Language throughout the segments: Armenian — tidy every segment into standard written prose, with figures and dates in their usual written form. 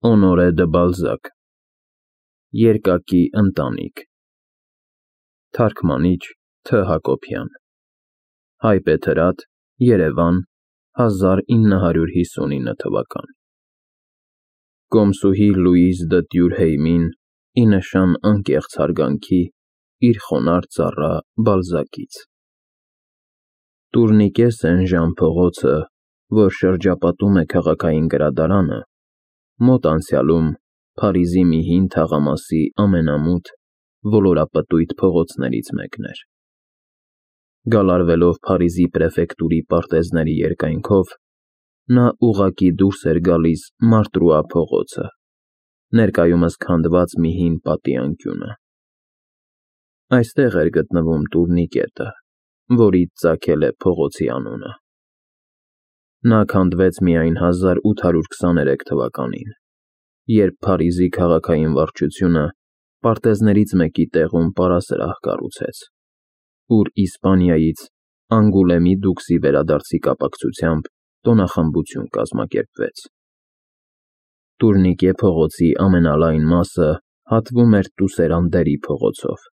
Օնորե դը Բալզակ Երկակի ընտանիք Թարգմանիչ Თ. Հակոբյան Հայբեթրատ Երևան 1959 թվական Կոմսուհի Լուիզ դը Տյուրհեյմին ի նշան անկեղծ հարգանքի իր խոնարհ ծառա Բալզակից Տուրնիկե Սեն-Ժան փողոցը, որ շրջապատում է քաղաքային գրադարանը, մոտ անցյալում Փարիզի մի հին թաղամասի ամենամութ, ոլորապտույտ փողոցներից մեկն էր։ Գալարվելով Փարիզի պրեֆեկտուրի պարտեզների երկայնքով, նա ուղղակի դուրս էր գալիս Մարտրուա փողոցը, ներկայումս քանդված մի հին պատի անկյունը։ Այստեղ էր գտնվում տուրնիկետը, որից ծագել է փողոցի անունը։ Նա քանդվեց միայն 1823 թվականին, երբ Փարիզի քաղաքային վարչությունը պարտեզներից մեկի տեղում պարասրահ կառուցեց, ուր Իսպանիայից Անգուլեմի դուքսի վերադարձի կապակցությամբ տոնախմբություն կազմակերպվեց։ Տուրնիկե փողոցի ամենալայն մասը հատվում էր Տուսերանդերի փողոցով,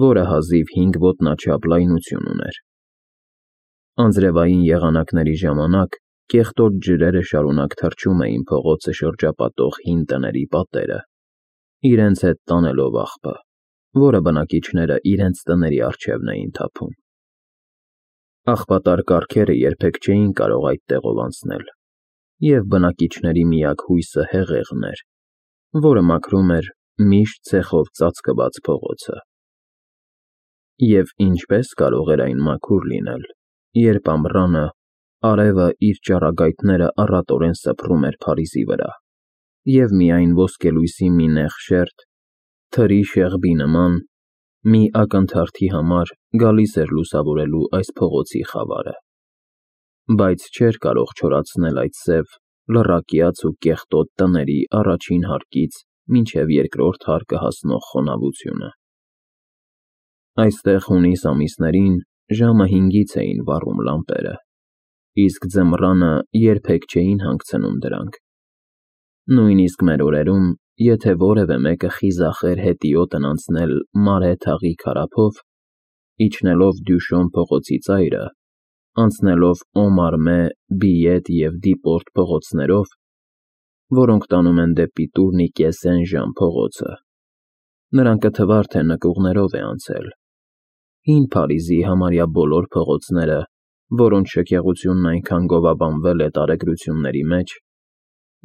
որը հազիվ 5 ոտնաչափ լայնություն ուներ։ Անձրևային եղանակների ժամանակ կեղտոտ ջրերը շարունակ թռչում էին փողոցը շրջապատող հին տների պատերը, իրենց հետ տանելով աղբը, որը բնակիչները իրենց տների առջևն էին թափում։ Աղբատար կառքերը երբեք չէին կարող այդ տեղով անցնել, և բնակիչների միակ հույսը հեղեղն էր, որը մաքրում էր միշտ ցեխով ծածկված փողոցը։ Եվ ինչպես կարող էր այն մաքուր լինել, երբ ամռանը արևը իր ճառագայթները առատորեն սփռում էր Փարիզի վրա, և միայն ոսկելույսի մի նեղ շերտ, թրի շեղբի նման, մի ակնթարթի համար գալիս էր լուսավորելու այս փողոցի խավարը, բայց չէր կարող չորացնել այդ սև, լռակյաց ու կեղտոտ տների առաջին հարկից մինչև երկրորդ հարկը հասնող խոնավությունը։ Այստեղ հունիս ամիսներին ժամը 5-ից էին վառում լամպերը, իսկ ձմռանը երբեք չէին հանգցնում դրանք։ Նույնիսկ մեր օրերում, եթե որևէ մեկը խիզախեր հետիոտն անցնել Մարե թաղի քարափով, իջնելով Դյուշոն փողոցի ծայրը, անցնելով Օմարմե, Բիետ և Դիպորտ փողոցներով, որոնք տանում են դեպի Տուրնիկե Սեն-Ժան փողոցը, նրան կթվար, թե նկուղներով է անցել։ Հին Փարիզի համարյա բոլոր փողոցները, որոնց շքեղությունն այնքան գովաբանվել է տարեգրությունների մեջ,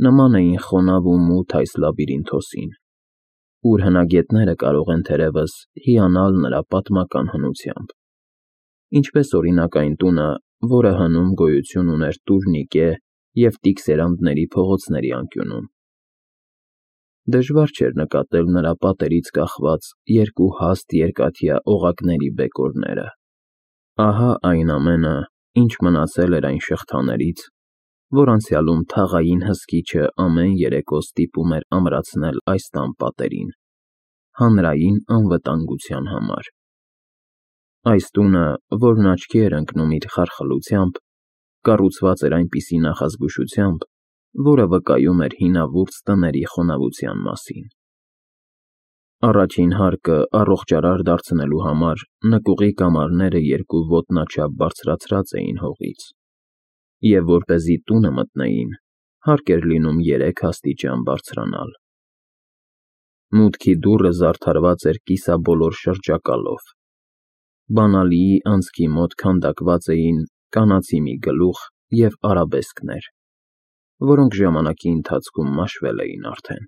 նման էին խոնավ ու մութ այս լաբիրինթոսին, ուր հնագետները կարող են թերևս հիանալ նրա պատմական հնությամբ, ինչպես օրինակ այն տունը, որը հնում գոյություն ուներ Տուրնիկե և Տիքսերանդների փողոցների անկյունում։ Դժվար չէր նկատել նրա պատերից կախված երկու հաստ երկաթյա օղակների բեկորները։ Ահա այն ամենը, ինչ մնացել էր այն շղթաներից, որ անցյալում թաղային հսկիչը ամեն երեկո ստիպում էր ամրացնել այս տան պատերին, հանրային անվտանգության համար։ Այս տունը, որն աչքի էր ընկնում իր խարխլությամբ, կառուցված էր այնպիսի նախազգուշությամբ, որը վկայում էր հինավուրց տների խոնավության մասին։ Առաջին հարկը առողջարար դարձնելու համար նկուղի կամարները 2 ոտնաչափ բարձրացրած էին հողից, և որպեսզի տունը մտնեին, հարկ էր լինում 3 աստիճան բարձրանալ։ Մուտքի դուռը զարդարված էր կիսաբոլոր շրջակալով։ Բանալիի անցքի մոտ քանդակված էին կանացի մի գլուխ և արաբեսկներ, որոնք ժամանակի ընթացքում մաշվել էին արդեն։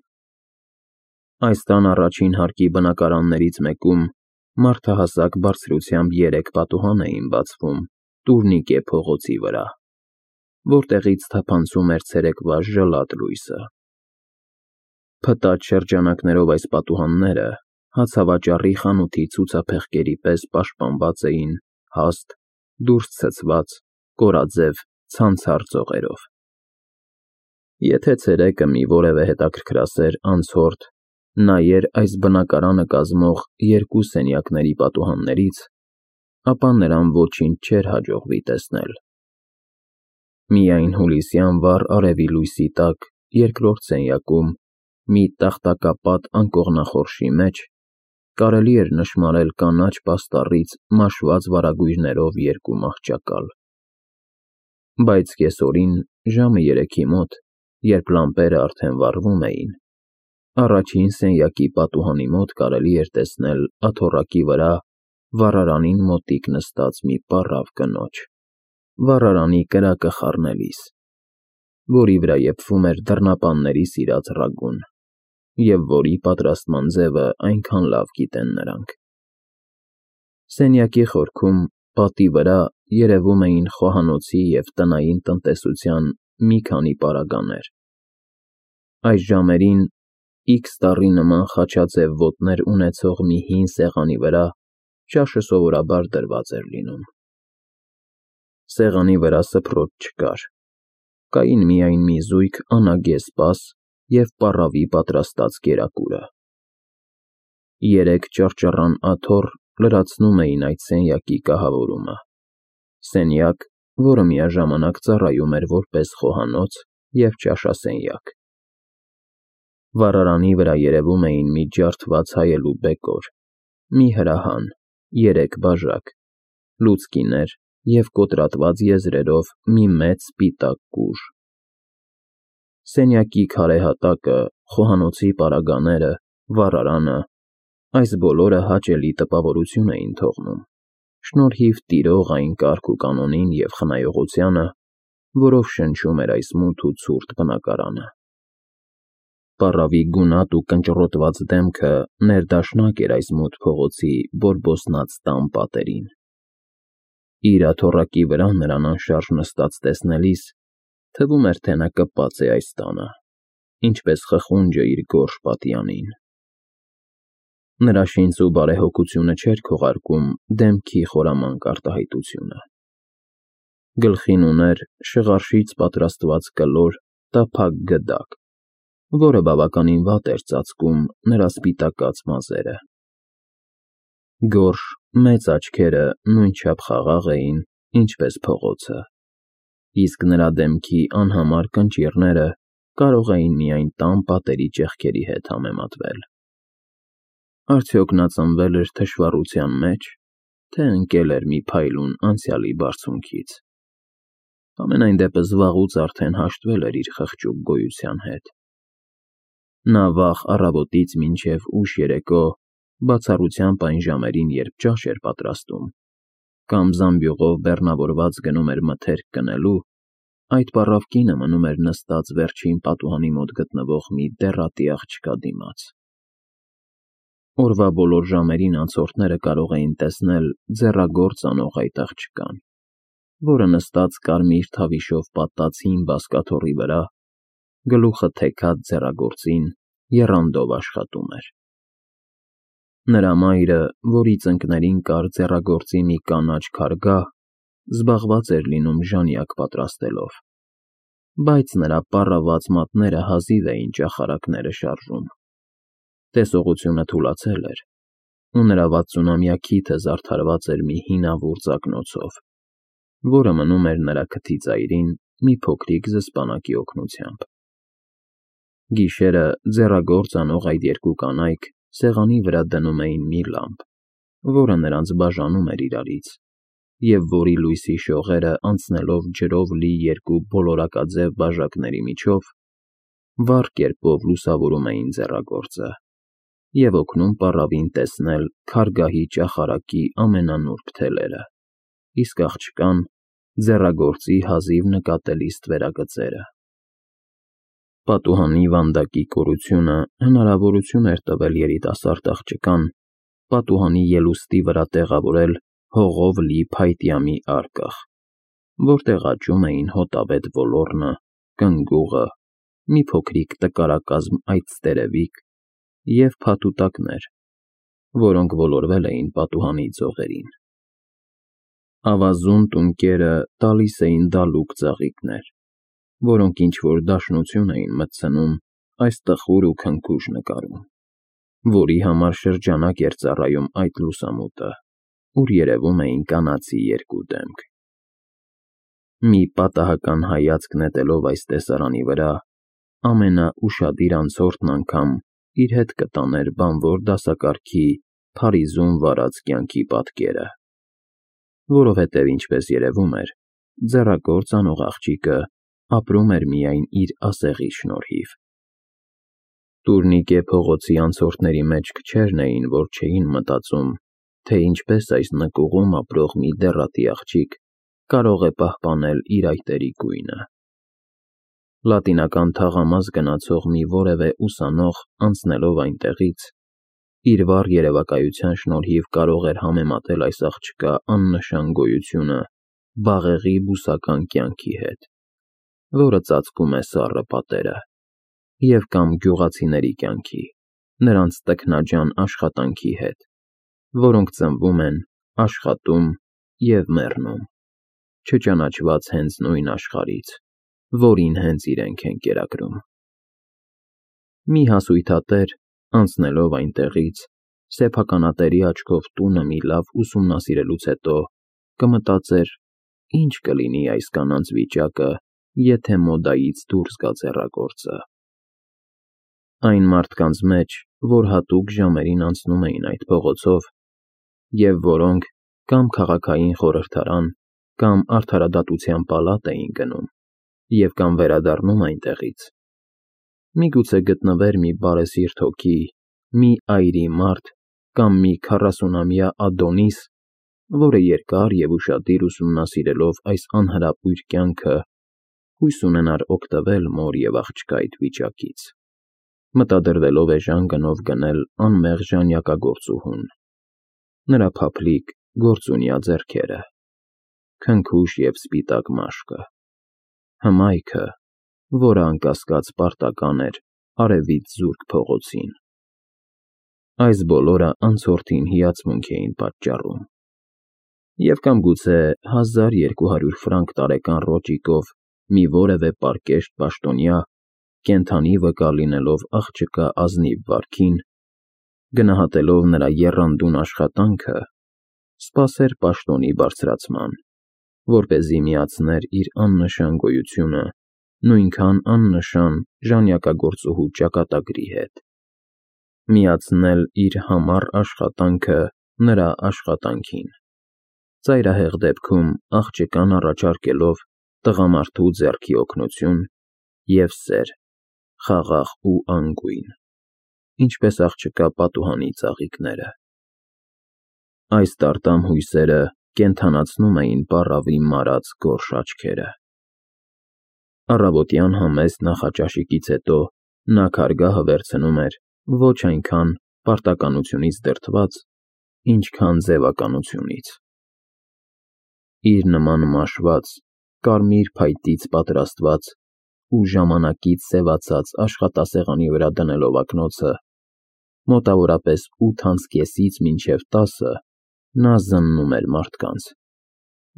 Այս տան առաջին հարկի բնակարաններից մեկում մարդահասակ բարձրությամբ 3 պատուհան էին բացվում Տուրնիկե փողոցի վրա, որտեղից թափանցում էր ցերեկվա ժլատ լույսը։ Փտած շրջանակներով այս պատուհանները հացավաճառի խանութի ցուցափեղկերի պես պաշտպանված էին հաստ, դուրս ցցված, կորաձև ցանցառ ծողերով։ Եթե ցերեկը մի որևէ հետաքրքրասեր անցորդ նայեր այս բնակարանը կազմող 2 սենյակների պատուհաններից, ապա նրան ոչինչ չէր հաջողվի տեսնել։ Միայն հուլիսյան վառ արևի լույսի տակ երկրորդ սենյակում, մի տախտակապատ անկողնախորշի մեջ, կարելի էր նշմարել կանաչ պաստառից մաշված վարագույրներով երկու մահճակալ։ Բայց կեսօրին, ժամը 3-ի մոտ, երբ լամպերը արդեն վառվում էին, առաջին սենյակի պատուհանի մոտ կարելի էր տեսնել աթոռակի վրա վառարանին մոտիկ նստած մի պառավ կնոջ, վառարանի կրակը խառնելիս, որի վրա եփվում էր դռնապանների սիրած ռագուն, և որի պատրաստման ձևը այնքան լավ գիտեն նրանք։ Սենյակի խորքում, պատի վրա, երևում էին խոհանոցի և տնային տնտեսության մի քանի պարագաներ։ Այս ժամերին X տառի նման խաչաձև ոտներ ունեցող մի հին սեղանի վրա ճաշը սովորաբար դրված էր լինում։ Սեղանի վրա սփռոտ չկար, կային միայն մի զույգ անագես սպաս և պառավի պատրաստած կերակուրը։ 3 ճռճռան աթոռ լրացնում էին այդ սենյակի կահավորումը, սենյակ, որը միաժամանակ ծառայում էր որպես խոհանոց և ճաշասենյակ։ Վառարանի վրա երևում էին մի ջարդված հայելու բեկոր, մի հրահան, 3 բաժակ, լուցկիներ և կոտրատված եզրերով մի մեծ սպիտակ կուժ։ Սենյակի քարե հատակը, խոհանոցի պարագաները, վառարանը, այս բոլորը հաճելի տպավորություն էին թողնում, շնորհիվ տիրող այն կարգ ու կանոնին և խնայողությանը, որով շնչում էր այս մութ ու ցուրտ բնակարանը։ Պառավի գունատ ու կնճռոտված դեմքը ներդաշնակ էր այս մութ փողոցի բորբոսնած տան պատերին։ Իր աթոռակի վրա նրան անշարժ նստած տեսնելիս, թվում էր, թե նա կպած է այս տանը, ինչպես խխունջը իր գորշ պատյանին։ Նրա շինծ ու բարեհոգությունը չէր քողարկում դեմքի խորամանկ արտահայտությունը։ Գլխին ուներ շղարշից պատրաստված կլոր, տափակ գդակ, որը բավականին վատ էր ծածկում նրա սպիտակած մազերը։ Գորշ, մեծ աչքերը նույնչափ խաղաղ էին, ինչպես փողոցը, իսկ նրա դեմքի անհամար կնճիռները կարող էին միայն տան պատերի ճեղքերի հետ համեմատվել։ Արդյոք նա ծնվել էր թշվառության մեջ, թե ընկել էր մի փայլուն անցյալի բարձունքից։ Համենայն դեպս վաղուց արդեն հաշտվել էր իր խղճուկ գոյության հետ։ Նա վաղ առավոտից մինչև ուշ երեկո, բացառությամբ այն ժամերին, երբ ճաշ էր պատրաստում, կամ զամբյուղով բեռնավորված գնում էր մթերք կնելու, այդ պառավ կինը մնում էր նստած վերջին պատուհանի մոտ գտնվող մի դեռատի աղջկա դիմաց։ Օրվա բոլոր ժամերին անցորդները կարող էին տեսնել ձեռագործ անող այդ աղջկան, որը նստած կարմիր թավիշով պատած հին բազկաթոռի վրա, գլուխը թեքած ձեռագործին, եռանդով աշխատում էր։ Նրա մայրը, որի ծնկներին կար ձեռագործի մի կանաչ քարգա, զբաղված էր լինում ժանյակ պատրաստելով, բայց նրա պառավված մատները հազիվ էին ճախարակները շարժում։ Տեսողությունը թուլացել էր, ու նրա 60-ամյա քիթը զարդարված էր մի հինավուրց ակնոցով, որը մնում էր նրա քթի ծայրին մի փոքրիկ զսպանակի օգնությամբ։ Գիշերը ձեռագործ անող այդ երկու կանայք սեղանի վրա դնում էին մի լամպ, որը նրանց բաժանում էր իրարից, և որի լույսի շողերը անցնելով ջրով լի երկու բոլորակաձև բաժակների միջով, վառ կերպով լուսավորում էին ձեռագործը և օգնում պառավին տեսնել քարգահի ճախարակի ամենանուրբ թելերը, իսկ աղջկան՝ ձեռագործի հազիվ նկատելի ստվերագծերը։ Պատուհանի վանդակի կորությունը հնարավորություն էր տվել երիտասարդ աղջկան պատուհանի ելուստի վրա տեղավորել հողով լի փայտյա մի արկղ, որտեղ աճում էին հոտավետ ոլոռնը, կնգուղը, մի փոքրիկ տկարակազմ այծտերևիկ և փաթուտակներ, որոնք ոլորվել էին պատուհանի ծովերին։ Ավազուն տունկերը տալիս էին դալուկ ծաղիկներ, որոնք ինչ-որ դաշնություն էին մտցնում այս տխուր ու քնքուշ նկարում, որի համար շրջանակ էր ծառայում այդ լուսամուտը, ուր երևում էին կանացի երկու դեմք։ Մի պատահական հայացք նետելով այս տեսարանի վրա, ամենաուշադիր անցորդն անգամ իր հետ կտաներ բանվոր դասակարգի Փարիզում վարած կյանքի պատկերը, որովհետև, ինչպես երևում էր, ձեռագործ անող աղջիկը ապրում էր միայն իր ասեղի շնորհիվ։ Տուրնիկե փողոցի անցորդների մեջ քչերն էին, որ չէին մտածում, թե ինչպես այս նկուղում ապրող մի դեռատի աղջիկ կարող է պահպանել իր այտերի գույնը։ Լատինական թաղամաս գնացող մի որևէ ուսանող անցնելով այնտեղից, իր վառ երևակայության շնորհիվ կարող էր համեմատել այս աղջկա աննշան գոյությունը բաղեղի բուսական կյանքի հետ, որը ծածկում է սառը պատերը, և կամ գյուղացիների կյանքի, նրանց տքնաջան աշխատանքի հետ, որոնք ծնվում են, աշխատում և մեռնում, չճանաչված հենց նույն աշխարհից, որին հենց իրենք են կերակրում։ Մի հասույթատեր, անցնելով այնտեղից, սեփականատերի աչքով տունը մի լավ ուսումնասիրելուց հետո, կմտածեր, ինչ կլինի այս կանանց վիճակը, եթե մոդայից դուրս գա ձեռագործը։ Այն մարդկանց մեջ, որ հատուկ ժամերին անցնում էին այդ փողոցով, և որոնք կամ քաղաքային խորհրդարան, կամ արդարադատության պալատ էին գնում, և կամ վերադառնում այնտեղից, միգուցե գտնվեր մի բարեսիրտ հոգի, մի այրի մարդ կամ մի 40-ամյա Ադոնիս, որը երկար և ուշադիր ուսումնասիրելով այս անհրապույր կյանքը, հույս ունենար օգտվել մոր և աղջկա այդ վիճակից, մտադրվելով էժան գնով գնել անմեղ ժանյակագործուհուն, նրա փափլիկ, գործունյա ձեռքերը, քնքուշ և սպիտակ մաշկը, հմայքը, որը անկասկած պարտական էր արևից զուրկ փողոցին։ Այս բոլորը անցորդին հիացմունք էին պատճառում, և կամ գուցե 1200 ֆրանկ տարեկան ռոճիկով մի որևէ պարկեշտ պաշտոնյա, կենդանի վկա լինելով աղջկա ազնիվ վարքին, գնահատելով նրա եռանդուն աշխատանքը, սպասեր պաշտոնի բարձրացման, որպեսզի միացներ իր աննշան գոյությունը նույնքան աննշան ժանյակագործուհու ճակատագրի հետ, միացնել իր համառ աշխատանքը նրա աշխատանքին, ծայրահեղ դեպքում աղջկան առաջարկելով տղամարդու ձեռքի օգնություն և սեր, խաղաղ ու անգույն, ինչպես աղջկա պատուհանի ծաղիկները։ Այս տարտամ հույսերը կենդանացնում էին պառավի մարած գորշ աչքերը։ Առավոտյան համեստ նախաճաշիկից հետո նա քարգահը վերցնում էր ոչ այնքան պարտականությունից դրդված, ինչքան ձևականությունից։ Իր նման մաշված, կարմիր փայտից պատրաստված ու ժամանակից սևացած աշխատասեղանի վրա դնելով ակնոցը, մոտավորապես 8:30-ից մինչև 10 նա զննում էր մարդկանց,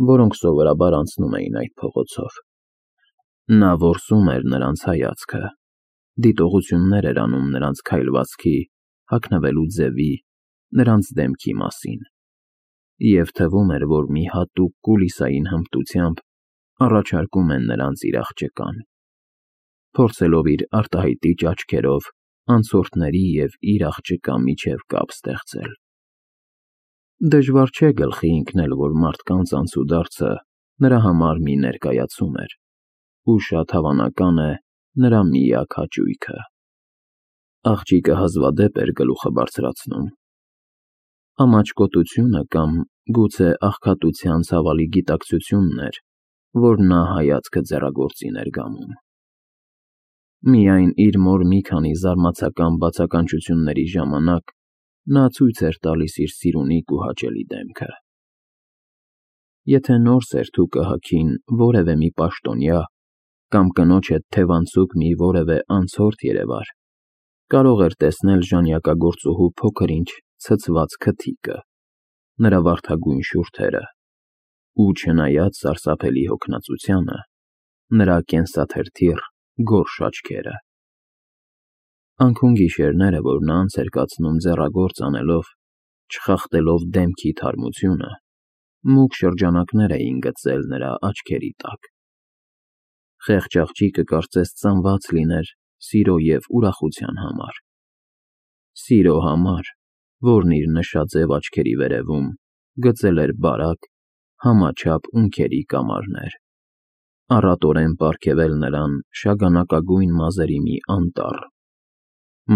որոնք սովորաբար անցնում էին այդ փողոցով։ Նա որսում էր նրանց հայացքը, դիտողություններ էր անում նրանց քայլվածքի, հագնվելու ձևի, նրանց դեմքի մասին, և թվում էր, որ մի հատուկ կուլիսային հմտությամբ առաջարկում են նրանց իր աղջկան, փորձելով իր արտահայտիչ աչքերով անցորդների և իր աղջկա միջև կապ ստեղծել։ Դժվար չէ գլխի ընկնել, որ մարդկանց անցուդարձը նրա համար մի ներկայացում էր, ու շատ հավանական է նրա միակ հաճույքը։ Աղջիկը հազվադեպ էր գլուխը բարձրացնում։ Ամաչկոտությունը կամ գուցե աղքատության ցավալի գիտակցությունն էր, որ նա հայացքը ձեռագործի ներգամում։ Միայն իր մոր մի քանի զարմացական բացականչությունների ժամանակ նա ցույց էր տալիս իր սիրունիկ ու հաճելի դեմքը։ Եթե նոր սերթուկը հագին որևէ մի պաշտոնյա կամ կնոջ հետ թևանցուկ մի որևէ անցորդ երևար, կարող էր տեսնել ժանյակագործուհու փոքր-ինչ ցցված քթիկը, նրա վարդագույն շուրթերը ու, չնայած սարսափելի հոգնածությանը, նրա կենսաթրթիռ, գորշ աչքերը։ Անքուն գիշերները, որ նա անց էր կացնում ձեռագործ անելով, չխախտելով դեմքի թարմությունը, մուգ շրջանակներ էին գծել նրա աչքերի տակ։ Խեղճ աղջիկը կարծես ծնված լիներ սիրո և ուրախության համար։ Սիրո համար, որն իր նշաձև աչքերի վերևում գծել էր բարակ, համաչափ ունքերի կամարներ, առատորեն պարգևել նրան շագանակագույն մազերի մի անտառ,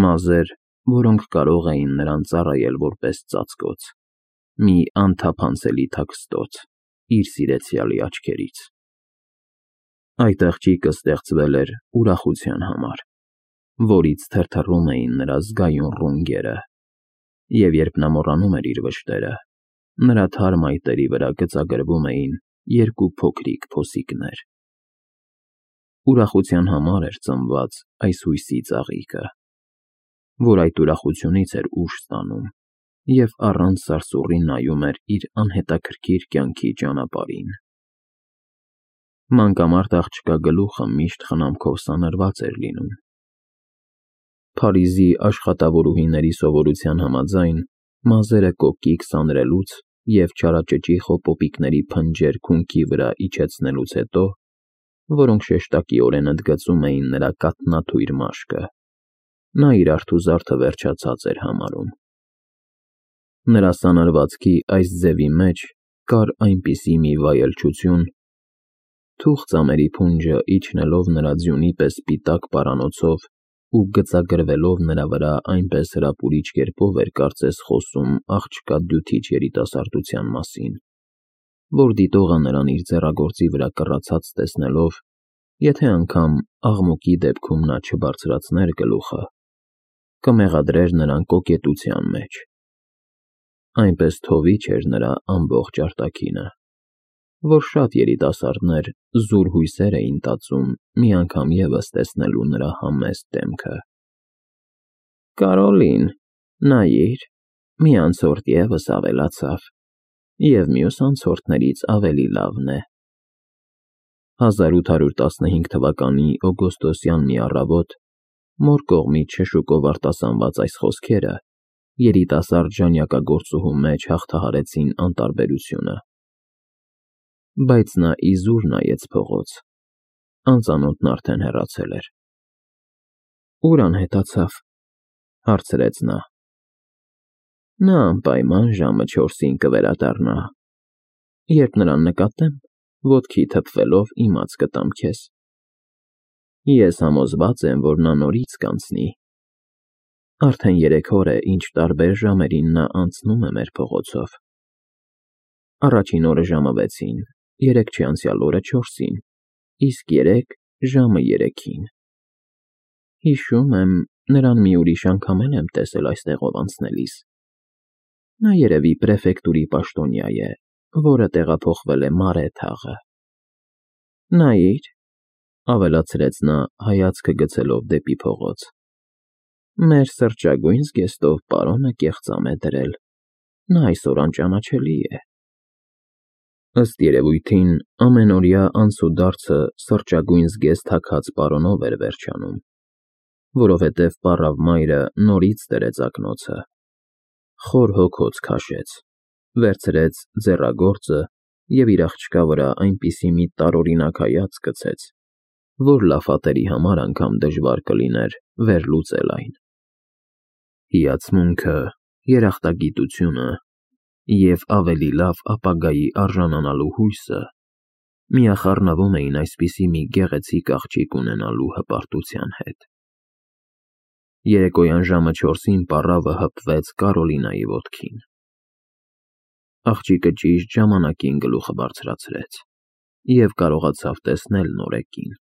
մազեր, որոնք կարող էին նրան ծառայել որպես ծածկոց, մի անթափանցելի թաքստոց իր սիրեցյալի աչքերից։ Այդ աղջիկը ստեղծվել էր ուրախության համար, որից թրթռում էին նրա զգայուն ռունգերը, և երբ նա մոռանում էր իր վշտերը, նրա թարմ այտերի վրա գծագրվում էին երկու փոքրիկ փոսիկներ։ Ուրախության համար էր ծնված այս հույսի ծաղիկը, որ այդ ուրախությունից էր ուժ ստանում և առանց սարսուռի նայում էր իր անհետաքրքիր կյանքի ճանապարհին։ Մանկամարտ աղջկա գլուխը միշտ խնամքով սանրված էր լինում։ Փարիզի աշխատավորուհիների սովորության համաձայն, մազերը կոկիկ սանրելուց և չարաճճի խոպոպիկների փնջեր քունքի վրա իջեցնելուց հետո, որոնք շեշտակիորեն ընդգծում էին նրա կաթնաթույր մաշկը, նա իր արթուզարդը վերջացած էր համարում։ Նրա սանրվածքի այս ձևի մեջ կար այնպիսի մի վայելչություն, թուխ ծամերի փունջը իջնելով նրա ձյունի պես սպիտակ պարանոցով ու գծագրվելով նրա վրա այնպես հրապուրիչ կերպով էր կարծես խոսում աղջկա դյութիչ երիտասարդության մասին, որ դիտողը նրան իր ձեռագործի վրա կռացած տեսնելով, եթե անգամ աղմուկի դեպքում նա չբարձրացներ գլուխը, կմեղադրեր նրան կոկետության մեջ։ Այնպես թովիչ էր նրա ամբողջ արտաքինը, որ շատ երիտասարդներ զուր հույսեր էին տածում մի անգամ ևս տեսնելու նրա համեստ դեմքը։ «Կարոլին, նայիր, մի անցորդ ևս ավելացավ, և մյուս անցորդներից ավելի լավն է»։ 1815 թվականի օգոստոսյան մի առավոտ մոր կողմից շշուկով արտասանված այս խոսքերը երիտասարդ ժանյակագործուհու մեջ հաղթահարեցին անտարբերությունը։ Բայց նա իզուր նայեց փողոց, անծանոթն արդեն հեռացել էր։ «Ուր անհետացավ», հարցրեց նա։ «Նա անպայման ժամը 4-ին կվերադառնա։ Երբ նրան նկատեմ, ոտքի թփվելով իմաց կտամ քեզ։ Ես համոզված եմ, որ նա նորից կանցնի։ Արդեն 3 օր է, ինչ տարբեր ժամերին նա անցնում է մեր փողոցով. առաջին օրը ժամը 6-ին, երեկ չանցյալ օրը 4-ին, իսկ երեկ ժամը 3-ին։ Հիշում եմ, նրան մի ուրիշ անգամ էլ եմ տեսել այստեղով անցնելիս։ Նա երևի պրեֆեկտուրի պաշտոնյա է, որը տեղափոխվել է Մարե թաղը։ Նայիր, ավելացրեց նա հայացքը գցելով դեպի փողոց, մեր սրճագույն զգեստով պարոնը կեղծամ է դրել, նա այսօր անճանաչելի է։ Ըստ երևույթին, ամենօրյա անցուդարձը սրճագույն զգեստ թաքած պարոնով էր վերջանում, որովհետև պառավ մայրը նորից դրեց ակնոցը, խոր հոգոց քաշեց, վերցրեց ձեռագործը և իր աղջկա վրա այնպիսի մի տարօրինակ հայացք գցեց, որ լաֆատերի համար անգամ դժվար կլիներ վերլուծել այն։ Հիացմունքը, երախտագիտությունը և ավելի լավ ապագայի արժանանալու հույսը միախառնվում էին այսպիսի մի գեղեցիկ աղջիկ ունենալու հպարտության հետ։ Երեկոյան ժամը 4-ին պառավը հպվեց Կարոլինայի ոտքին։ Աղջիկը ճիշտ ժամանակին գլուխը բարձրացրեց և կարողացավ տեսնել նորեկին,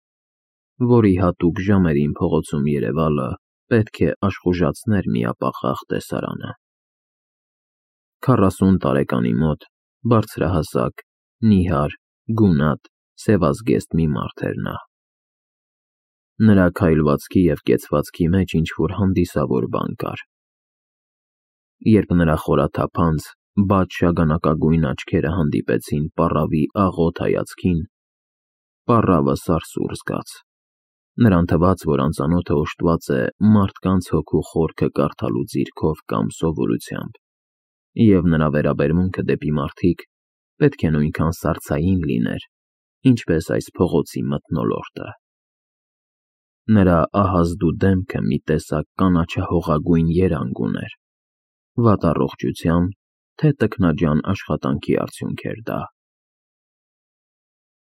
որի հատուկ ժամերին փողոցում երևալը պետք է աշխուժացներ միապաղաղ տեսարանը։ 40 տարեկանի մոտ բարձրահասակ, նիհար, գունատ, սևազգեստ մի մարդ էր նա։ Նրա քայլվածքի և կեցվածքի մեջ ինչ-որ հանդիսավոր բան կար։ Երբ նրա խորաթափանց, բաց շագանակագույն աչքերը հանդիպեցին պառավի աղոտ հայացքին, պառավը սարսուռ զգաց։ Նրան թվաց, որ անծանոթը օժտված է մարդկանց հոգու խորքը կարդալու ձիրքով կամ սովորությամբ, և նրա վերաբերմունքը դեպի մարդիկ պետք է նույնքան սառցային լիներ, ինչպես այս փողոցի մթնոլորտը։ Նրա ահազդու դեմքը մի տեսակ կանաչահողագույն երանգ ուներ, վատ առողջության, թե տքնաջան աշխատանքի արդյունք էր դա։